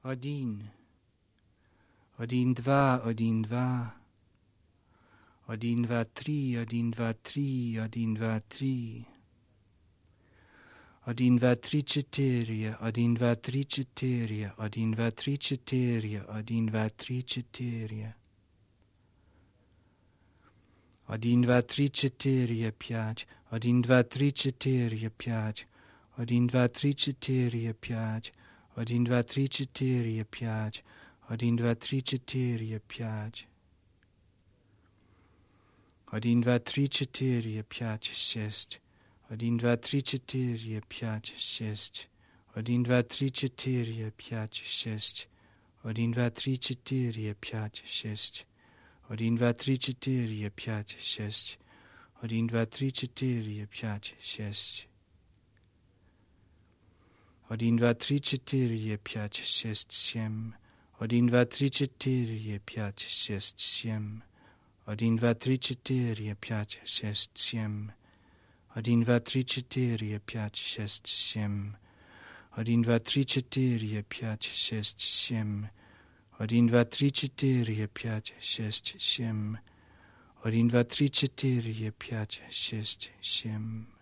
Один. 1, 2, 1, 2. 1, 2, 3, 1, 2, 3, 1, 2, 3. 1, 2, 3, 4, 1, 2, 3, 4, 1, 2, 3, 4, 1, 2, 3, 4. 1, 2, 3, 4, 5, 1, 2, 3, 4, 5, 1, 2, 3, 4, 5, 1, 2, 3, 4, 5, 1, 2, 3, 4, 5. 1, 2, 3, 4, 5, 6. 1, 2, 3, 4, 5, 6. 1, 2, 3, 4, 5, 6. 1, 2, 3, 4, 5, 6. 1, 2, 3, 4, 5, 6. 1, 2, 3, 4, 5, 6. 1, 2, 3, 4, 5, 6, 7. 1, 2, 3, 4, 5, 6, 7. 1, 2, 3, 4, 5, 6, 7. 1, 2, 3, 4, 5, 6, 7. 1, 2, 3, 4, 5, 6, 7. 1, 2, 3, 4, 5, 6, 7. 1, 2, 3, 4, 5, 6, 7.